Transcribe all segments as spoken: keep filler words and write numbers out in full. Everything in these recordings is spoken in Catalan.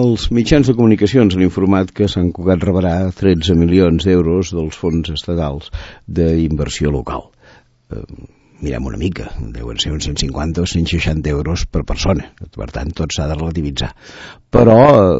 Els mitjans de comunicacions han informat que Sant Cugat rebrà tretze milions d'euros dels fons estatals d'inversió local. Eh, mirem una mica, deuen ser uns cent cinquanta o cent seixanta euros per persona, per tant tot s'ha de relativitzar. Però,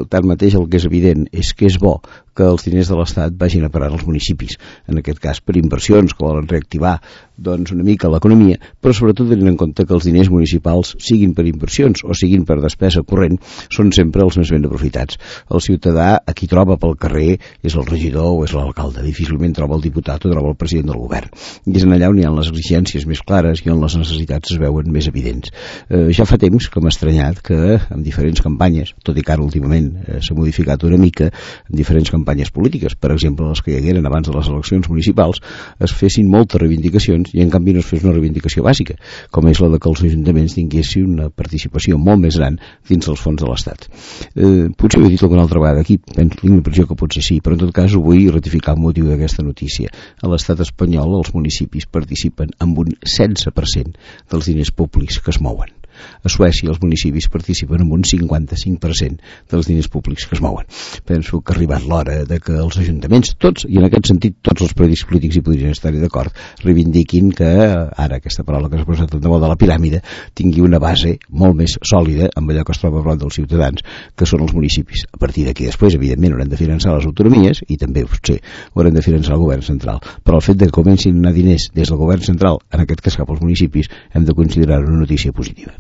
tanmateix, el que és evident és que és bo que els diners de l'Estat vagin a parar als municipis, en aquest cas per inversions que volen reactivar doncs, una mica l'economia, però sobretot tenint en compte que els diners municipals, siguin per inversions o siguin per despesa corrent, són sempre els més ben aprofitats. El ciutadà a qui troba pel carrer és el regidor o és l'alcalde, difícilment troba el diputat o troba el president del govern. I és en allà on hi ha les exigències més clares i on les necessitats es veuen més evidents. Eh, ja fa temps que m'ha estranyat que en diferents campanyes, tot i que ara últimament eh, s'ha modificat una mica, en diferents campanyes polítiques, per exemple les que hi hagueren abans de les eleccions municipals, es fessin moltes reivindicacions i en canvi no es fes una reivindicació bàsica, com és la de que els ajuntaments tinguessin una participació molt més gran dins dels fons de l'Estat. Eh, potser ho he dit alguna altra vegada aquí, penso tinc l'impressió que potser sí, però en tot cas ho vull ratificar el motiu d'aquesta notícia. A l'Estat espanyol els municipis participen amb un setze per cent dels diners públics que es mouen. A Suècia els municipis participen amb un cinquanta-cinc per cent dels diners públics que es mouen. Penso que ha arribat l'hora de que els ajuntaments, tots, i en aquest sentit tots els partits polítics hi podrien estar-hi d'acord, reivindiquin que, ara aquesta paraula que s'ha posat de moda, la piràmide, tingui una base molt més sòlida amb allò que es troba prop dels ciutadans, que són els municipis. A partir d'aquí després, evidentment, haurem de finançar les autonomies i també, potser, haurem de finançar el govern central. Però el fet de que comencin a anar diners des del govern central, en aquest cas cap als municipis, hem de considerar una notícia positiva.